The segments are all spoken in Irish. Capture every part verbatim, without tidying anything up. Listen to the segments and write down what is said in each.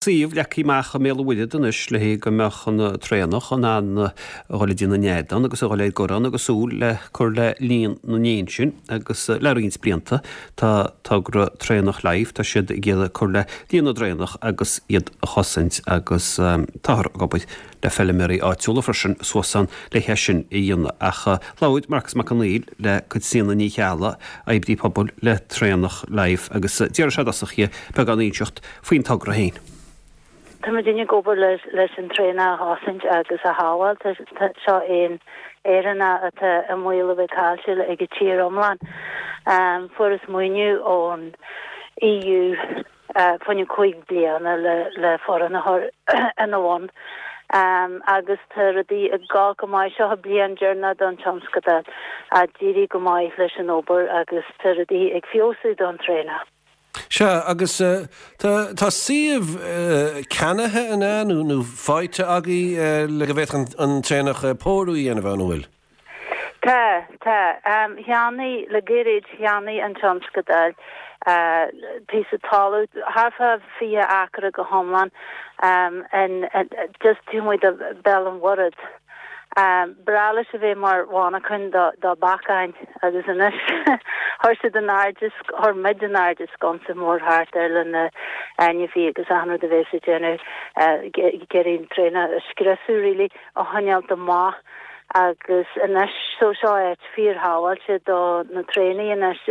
Suíomh leagtha amach i mBéal an Mhuirthead anois le go mbeadh an traonach in ann a dhul ag déanamh nead ann agus a dhul ag cur ann agus súil le cur le líon na n-éan sin agus le roinnt blianta tá togra Traonach Life, tá siad ag iarraidh cur le líon na dtraonach agus iad a chosaint agus táthar ag obair le feilméaraí áitiúla freisin suas ann le hé sin a dhéanamh. Ach labhair Marcas Mac Conghail le Caitríona Ní Cheallaigh, oibrí pobail le Traonach Life agus d'iarr sé i dtosach uirthi beagán a inseacht faoin togra féin. Tá muidinne ag obair leis an traonach a chosaint agus a shábháil. Seo éan Éireannach atá i mbaol a bheith caillte ag an tír iomlán. Fuaireas maoiniú ón E U fá choinne cúig bliana le foireann a chur ina bhun agus tá rudaí ag dul go maith. Seo an bliain deireanach don tionscadal. D'éirigh go maith leis an obair agus tá rudaí ag feabhsú don traonach. Sea, agus tá tá suíomh ceannaithe an ea nó nó faighte agaibh le go bhféadfadh an traonach pórú a dhéanamh ann, an bhfuil? Tá, tá. Cheannaigh, le gairid, cheannaigh an tionscadal píosa talamh, thart fá fiche acra go hiomlán, in just taobh amuigh de Bhéal an Mhuirthead. B'bhreá leis a bheith mar mhanarchan do do bheacáin agus anois chuir siad in airde, chuir muid in airde sconsa mór thart air le na ainmhithe agus achan rud a bheas ag déanamh, ag iarraidh an traonach a scriosadh really, a choinneáilt amach agus anois so seo áit fíorshábháilte do na traonaigh anois.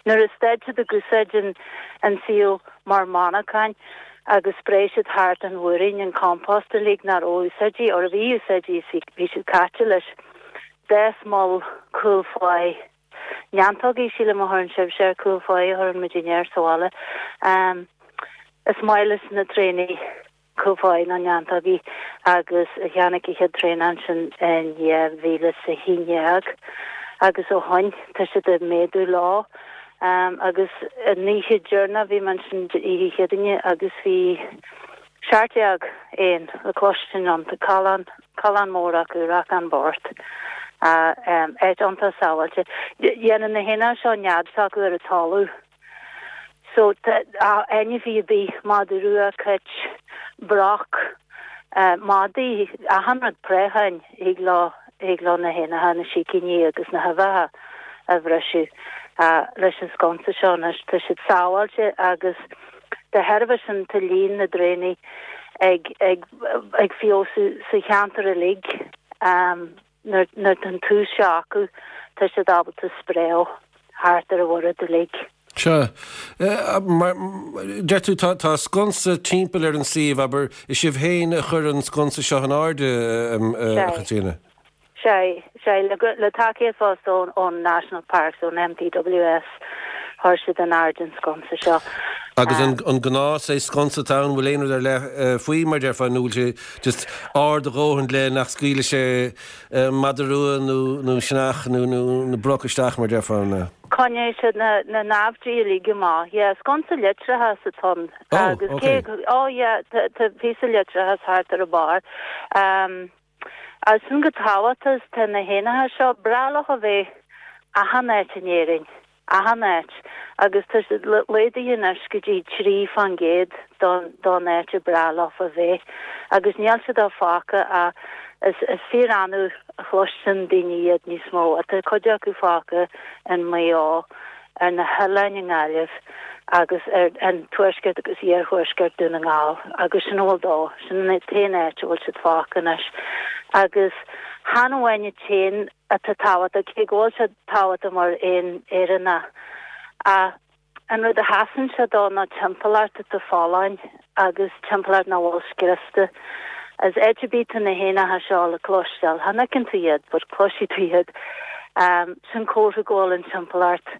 Nuair a stad siad ag úsáid an an suíomh mar mhanarchan agus spréigh siad thart an mhúirín, an compost uilig nach raibh úsáidte, or a bhí úsáidte is bhí siad caite leis. D'fhás moll cúl fáidh neantógaí, sílim a chuireann sibhse ar cúl fáidh a chuireann muidinne air sa bhaile. Is maith leis na traonaigh cúl fáidh nó neantógaí agus tháinig an chéad traonach ansin in dhá mhíle is a haon déag agus ó shoin tá siad ag méadú leo agus an oíche deireanach bhí mé ansin oíche Chéadaoine agus bhí seacht déag éan le cloistin iontu, callán, callán mór acu, racán bocht. Áit iontach sábháilte. Dhéanann na héin seo nead s'acu ar an talamh. So ainmhí ar bith, madadh rua, cait, broc, madaí, achan rud, préacháin, thig leo, thig leo na héanacha, na sicíní agus na huibheacha a bhriseadh leis an sconsa seo anois. Tá siad sábháilte agus de thairbhe sin tá líon na dtraonaigh ag, ag, ag feabhsú sa cheantar uilig. Nuair, nuair tá an tús seo acu tá siad ábalta spréadh thart ar an Mhuiread uilig. Sea. Mar, deir tú, tá, tá sconsa timpeall ar an suíomh, abair, is sibh féin a chuir an sconsa seo in airde, a Chaitríona? Sea, sea, le, le tacaíocht fosta ón, ón National Parks, ón N P W S, chuir siad in airde an sconsa seo. Agus an, an gnás é sconsa atá ann, bhfuil aon rud ar leith faoi, mar déarfá, nó bhfuil sé just ard a dhóthain le nach scaoilfidh sé madadh rua nó, nó sionnach nó, nó, nó broc isteach, mar déarfá, nó? Coinneoidh siad na, na naimhde uilig amach. Yeah, sconsa leictreachais atá ann. Oh, Agus okay. cé, oh yeah, tá, tá píosa leictreachais thart ar an barr. Um, agus sin go tábhachtach tá na héanacha seo breá leo a bheith achan áit in Éirinn, achan áit, agus tá siad laghdaithe anois go dtí trí faoin gcéad don, don áit a breá leo a bheith. Agus níl siad á fágtha a is, is fíor-annamh a chloisteann daoine iad níos mó. Tá cuid acu fágtha in Maigh Eo, ar na hoileáin i nGaillimh agus ar an tuaisceart agus iarthuaisceart Dún na nGall agus sin bhfuil dó, sin an t-aon áit a bhfuil siad fágtha anois. Agus chan amháin an t-éan atá tábhachtach, cé go bhfuil siad tábhachtach mar éan Éireannach, ach an rud a sheasann sé dó ná timpeallacht atá folláin agus timpeallacht nach bhfuil scriosta. As áit ar bith tá na héanacha seo le cloisteáil, chan fheiceann tú iad, but cloisfidh tú iad. Um, sin comhartha go bhfuil an timpeallacht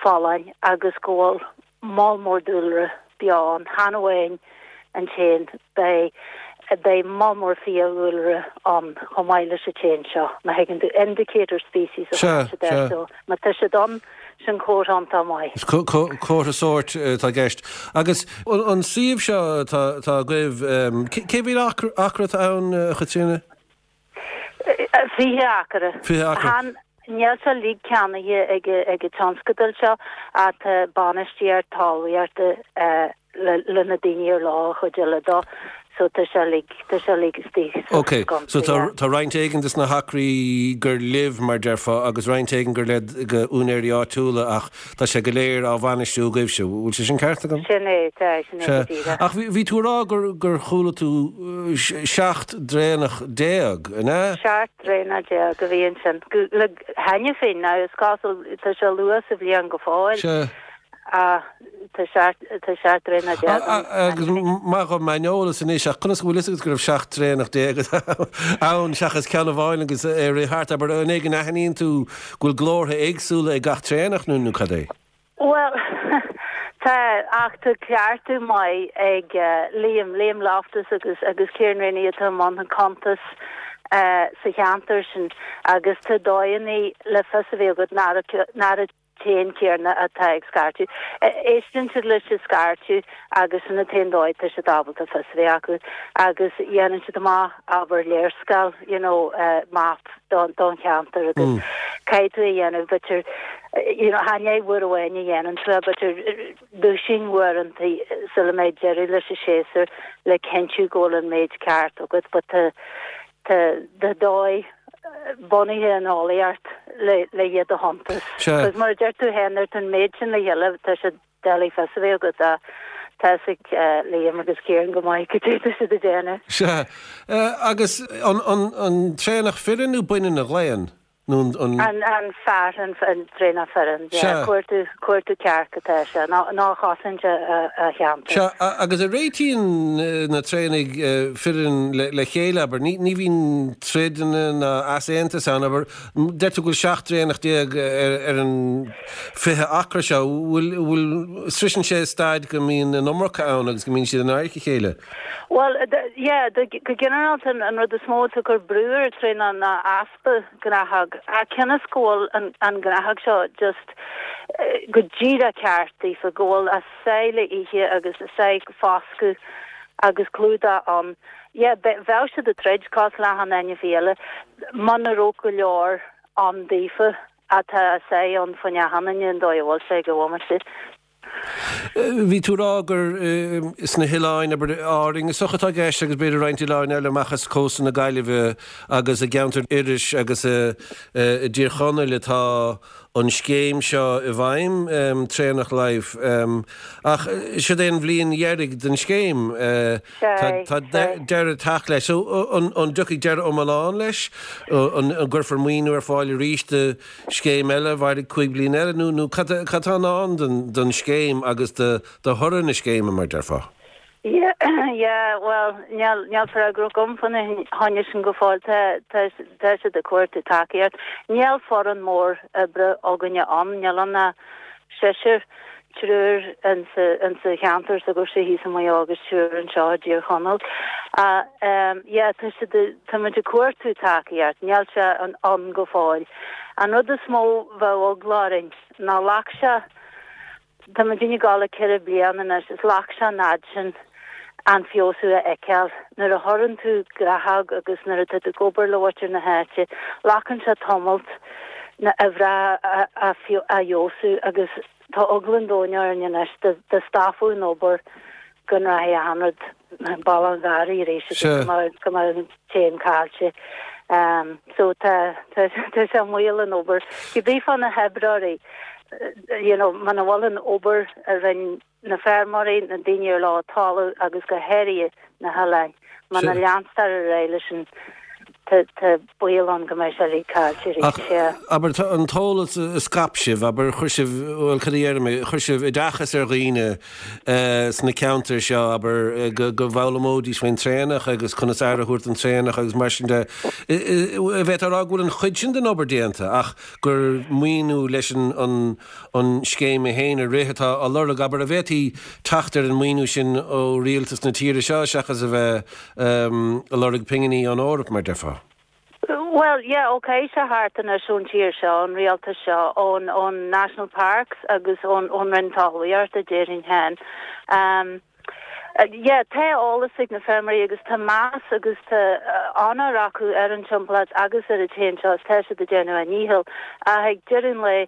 folláin agus go bhfuil moll mór dúlra beo ann. Chan amháin an t-éan, beidh beidh moll mór fiadhúlra ann chomh maith leis an t-éan seo. Má thuigeann tú indicator species a Sea, thugann siad air, sea. so má tá siad ann sin comhartha iontach maith. Is co- co- comhartha sóirt atá i gceist. Agus an, an suíomh seo atá, atá agaibh, um, cé cé mhéad acra, acra atá ann, a Chaitríona? Fiche acra. Fiche acra. Chan níl sé uilig ceannaithe ag ag an tionscadal seo ach tá bainistíocht talmhaíochta le na daoine ar leo an chuid eile dó so tá sé uilig tá sé uilig istigh sa Ok, so sconsa, tá yeah. tá roinnt éigin des na hacraí gur libh mar déarfá agus roinnt éigin gur le go úinéirí áitiúla ach tá sé go léir á bhainistiú agaibhse, bhfuil sé sin ceart agam? Sin é, tá, sin é Sea. go díreach. Ach bhí bhí tú ag rá gur gur chuala tú uh, seacht dtraonach déag, an ea? Seacht dtraonach déag a bhí ansin. Go- Le cheana féin now is cosúil tá sé luath sa bhliain go fóill. Sea. Ah, tá seacht tá seacht dtraonach déag ann Agus cheana féin. maith dhom m'aineolas anois ach conas go bhfuil fhios agat go raibh seacht dtraonach déag ann seachas ceann amháin agus é rith thart, abair an é go n-aithníonn tú go bhfuil glórtha éagsúla ag gach traonach nó nó cad é? Well, tá ach tá cleachtadh maith ag uh, Liam Liam Loftus agus agus Kieran Rennie atá i mbun an cuntas uh, sa cheantar sin agus tá dóigheanna le fios a bheith agat nach an t-éan céanna atá ag scairteadh. Éisteann siad leis an scairteadh agus sin an t-aon dóigh tá siad ábalta fios a bheith acu agus dhéanann siad amach abair léarscáil you know, uh, map don don cheantar agus mm. caithfidh tú a dhéanamh b'fhéidir you know, chan uair amháin a dhéanann tú b'fhéidir duisín uaireanta sula mbeidh deireadh leis an séasúr le cinntiú go bhfuil an méid ceart agat, but tá tá tá dóigh bunaithe an eolaíocht le le iad a chuntas. Sea. Cos mar a deir tú féin ar an méid sin le chéile tá sé doiligh fios a bheith agat a tá ag Liam agus Kieran go maith go dtí siad a déanamh. Sea. Uh, agus an, an, an traonach fireann nó baineann a ghlaonn? Nó an, an, An an fear an an traonach fireann Sea. cuartú cuartú cearc atá sé ná ná chasann a a cheantar. Sea, a- agus a réitíonn eh, na traonaigh eh, fireann le, le chéile abair, ní, ní bhíonn troideanna ná easaontas ann abair, deir tú go bhfuil seacht dtraonach déag ar, ar an fiche acra seo, bhfuil bhfuil sroiseann sé staid go mbíonn an iomarca ann agus go mbíonn siad in aghaidh a chéile. Well, d- yeah, de, go ginearálta an, an rud is mó ag cur brú ar traonach ná easpa gnáthóg. A cionn is go bhfuil an, an gnáthóg seo just eh, go díreach ceart daofa go bhfuil a sáith le ithe agus a sáith foscadh agus clúdach ann. Yeah, be- bheadh siad ag troid cosúil le achan ainmhí eile muna raibh go leor ann daofa atá a sáith ann faoin achan duine an dóigh a bhfuil sé go bhfuil Eh, Bhí tú rá gur eh, sna hoileáin abair Árainn is atá i gceist agus b'fhéidir roinnt oileáin eile amach as cósta na Gaillimhe agus i gceantar Iorrais agus i i dTír Chonaill atá an scéim seo i bhfeidhm um, Traonach Life um, ach eh, siod é an bhliain dheiridh den scéim uh, Sé, tá sé. deireadh ag teacht leis so an, an dtiocfaidh deireadh iomlán leis an, an gcuirfear maoiniú ar fáil arís do scéim eile mhairfidh cúig bliana eile nó nó cad cad atá ann den, den scéim agus de, de thoradh na scéime mar déarfá. Yeah, yeah, well, níl níl freagra agam faoina choinne sin go fóill tá tá tá siad ag cuartú tacaíocht. Níl foireann mór oibre againne ann, níl ann ach seisear triúr insa insa cheantar s'agaibhse thíos i Maigh Eo agus triúr anseo i dTír Chonaill. Uh, um, yeah, tá siad tá muid ag cuartú tacaíocht, níl sé an ann go fóill. An rud is mó bheadh eagla orainn ná ghlac sé Tá muid ag gabháil ceithre bliana anois is ghlac sé an fhad sin an feabhsú a fheiceáil. Nuair a chuireann tú gnáthóg agus nuair atá tú ag obair le muintir na háite, glacann sé tamall na a bhrath a, a, a fheabhsú agus tá eagla an domhain orainn anois dá dá stopfaí an obair go rachaidh achan rud béal an gharraí arís agus Sea. go mbeadh go mbeadh an t-éan caillte. Um, so tá tá tá sé moill an obair. Cibé fá na hoibreoirí, you know, muna bhfuil an obair a rinne na feirmeoirí na daoine ar leo talamh agus go háirithe na hoileáin. Muna Sea. leantar ar aghaidh leis an tá tá baol ann go mbeidh sé uilig caillte Ach arís, yeah. abair tá an t-eolas a scaip sibh, abair chuir sibh bhuel cad a dhéarfaidh mé, chuir sibh oideachas ar dhaoine uh, sna ceantair seo abair eh, go, go bhfoghlaimeoidís faoin traonach agus conas aire a thabhairt don traonach agus mar sin de bheith rá go bhfuil an chuid sin den obair déanta ach gur maoiniú leis an, an, an scéim í féin a rith atá á lorg abair an bhféadfaí teacht ar an maoiniú sin ó rialtas na tíre seo seachas a bheith um, ag lorg pinginí ón Eoraip mar déarfá. Well, yeah, okay, sé thart anois ón tír seo, an rialtas seo, ón ón National Parks agus ón ón Roinn Talmhaíochta déarfainn féin. Um, uh, yeah, tá eolas ag na feirmeoirí agus tá meas agus tá uh, onóir acu ar an timpeallacht agus ar an t-éan seo tá siad ag déanamh a ndícheall. Ach ag deireadh an lae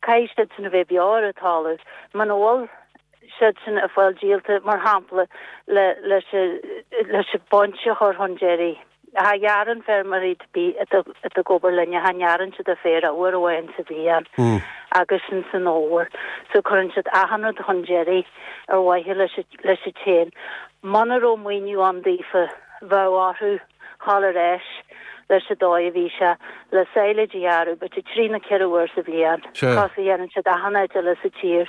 caithfidh siad sin a bheith beo ar an talamh. Muna bhfuil siad sin ag fáil díolta, mar shampla, le leis leis an baint a chur chun deiridh. Cha ghearrann feirmeoirí atá ag obair linne, cha ngearrann siad an féar ach uair amháin sa bhliain agus sin san fhómhar. So cuireann siad achan rud chun deiridh ar mhaithe leis leis an t-éan. Muna raibh maoiniú ann daofa, bheadh orthu dhul ar ais leis an dóigh a bhí sé le silage a ghearradh, b'fhéidir trí nó ceithre uair sa bhliain, cosúil a dhéanann siad achan áit eile sa tír.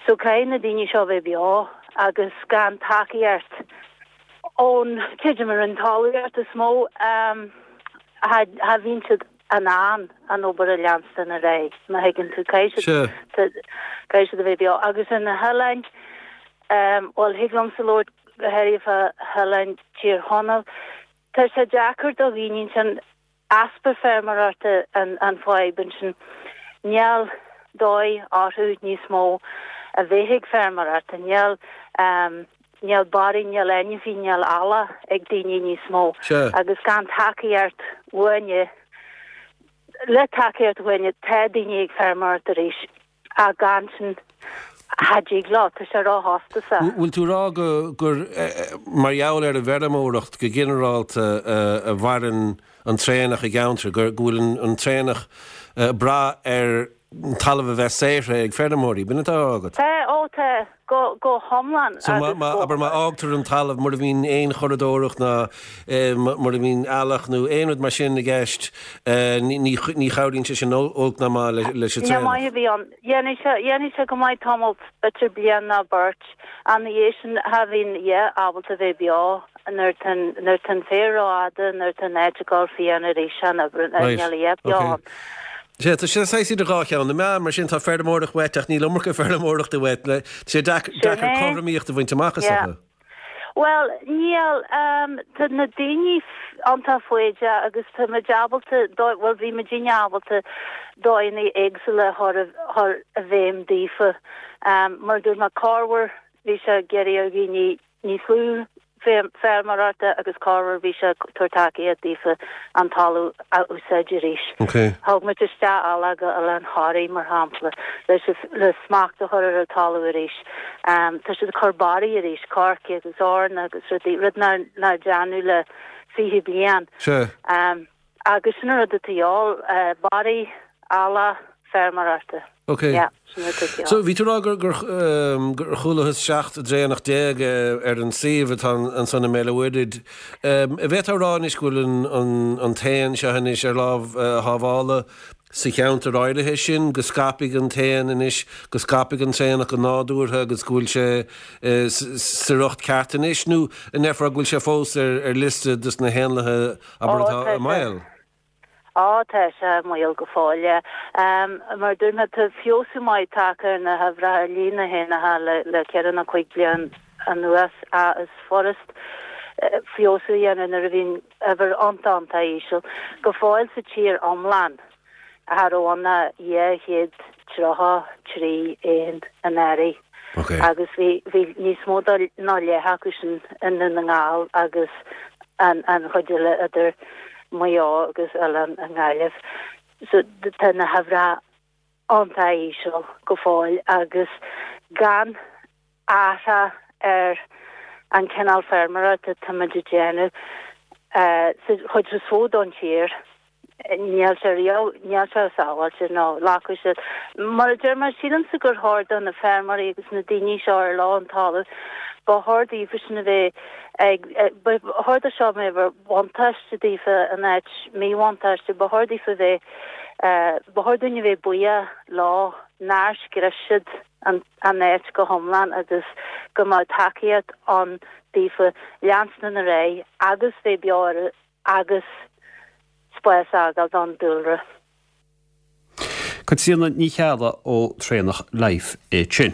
So caithfidh na daoine seo bheith beo agus gan tacaíocht ón, creidim, an Roinn Talmhaíochta is mó a bhíonn siad in ann an obair a leanstan ar aghaidh, má thuigeann tú. Caithfidh siad, caithfidh siad a bheith beo. Agus ar na hoileáin, bhuel, thig liomsa labhairt go háirithe fá hoileáin Tír Chonaill, tá sé deacair do dhaoine ansin, easpa feirmeoireachta an fadhb ansin. Níl dóigh orthu níos mó a bheith ag feirmeoireacht, níl níl barraí, níl ainmhí, níl eallach ag daoine níos mó agus gan tacaíocht uainne, le tacaíocht uainne tá daoine ag feirmeoireacht arís ach gan sin cha dtig leo, tá sé róchostasach. Bhfuil tú ag rá go gur mar gheall ar an bhfeirmeoireacht go ginearálta a mhaireann an traonach i gceantar, go bhfuil an traonach ag brath ar talamh a bheith saothraithe ag feirmeoirí, b'in atá á rá agat? Tá, ó tá, go, go hiomlán So má, má, abair má fhágtar an talamh mura mbíonn aon churadóireacht ná mura mbíonn eallach nó aon rud mar sin i gceist, ní, ní, ní chabhraíonn sé sin olc ná maith le, leis an Ní traonach. maith a bhí ann. Dhéanfaidh sé, dhéanfaidh sé go maith tamall, b'fhéidir bliain ná beirt, ach ina dhiaidh sin, cha bhíonn a dhath ábalta bheith beo. Nuair tá an féar rófhada, nuair tá an áit ag dul fiáin arís, an obair Right, níl a dhath beo okay. ann. Sea, tá sé saghas idir dhá cheann na meá, mar sin tá feirmeoireacht uait ach níl iomarca feirmeoireachta uait, le, tá sé deac- Sin deacair é. cothromaíocht a bhaint amach is Yeah. dócha. Bhuel, níl, um, tá na daoine iontach foighdeach agus tá muid ábalta, dó- bhuel bhí muidinne ábalta dóigheanna éagsúla a chur i, chur i bhfeidhm daofa. Um, mar dúirt mé corruair bhí sé ag iarraidh ar dhaoine níos lú feirmeoireachta agus corruair bhí sé ag tabhairt tacaíocht daofa an talamh a úsáid arís. Okay. Thug muid isteach eallach go Oileán Thoraí mar shampla leis le smacht a chur ar an talamh arís. Um, tá siad ag cur barraí arís, coirce agus eorna agus rudaí, rud nár nár déanadh le fiche bliain. Sea. Um, agus sin an rud atá de dhíobháil, uh, barraí, eallach, feirmeoireachta. Ok. Yeah, sin rud atá de dhíobháil. So bhí tú ag rá gur gur um, gur chualathas seacht dtraonach déag eh, ar an suíomh atá ansan i mBéal an Mhuirthead. Um, an bhféadfá a rá anois go bhfuil an, an, an t-éan seo anois ar lámh uh, shábhála sa cheantar áirithe sin, go scaipfidh an t-éan anois, go scaipfidh an traonach go nádúrtha agus go bhfuil sé uh, sa riocht ceart anois, nó an ndéarfá go bhfuil sé fós ar, ar liosta dos na héanlaithe abair Ó, atá tá i mbaol. Á tá sé i mbaol go fóill. Um, mar dúirt mé tá feabhsú maith tagtha ar na huimhreacha ar líon na héanacha le, le ceithre nó cúig bliain anuas a is furast eh, feabhsú a dhéanamh nuair a bhíonn uimhir iontach iontach íseal. Go fóill sa tír iomlán cha raibh ann ach dhá chéad tríocha trí éan anuraidh. Okay. Agus bhí bhí níos mó ná leath acu sin i nDún na nGall agus an, an chuid eile idir Maigh Eo agus Oileán i nGaillimh. So tá na huimhreacha iontach íseal go fóill agus gan athrú ar an cineál feirmeoireachta atáimid ag déanamh uh, sa chuid is mó don tír. Níl sé riamh níl sé sábháilte nó glacadh siad. Mar a deir mé sílimse gur chóir do na feirmeoirí agus na daoine seo ar leo an talamh ba chóir daofa sin a bheith ag ba chóir do seo bheith mar bhuntáiste daofa in áit míbhuntáiste, ba chóir daofa bheith ba chóir dúinn a bheith buíoch leo nár scrios siad an an áit go hiomlán agus go mbeadh tacaíocht ann daofa leanstan ar aghaidh agus bheith beo agus spás a fhágáil don dúlra. Caitríona Ní Cheallaigh ó Traonach Life é sin.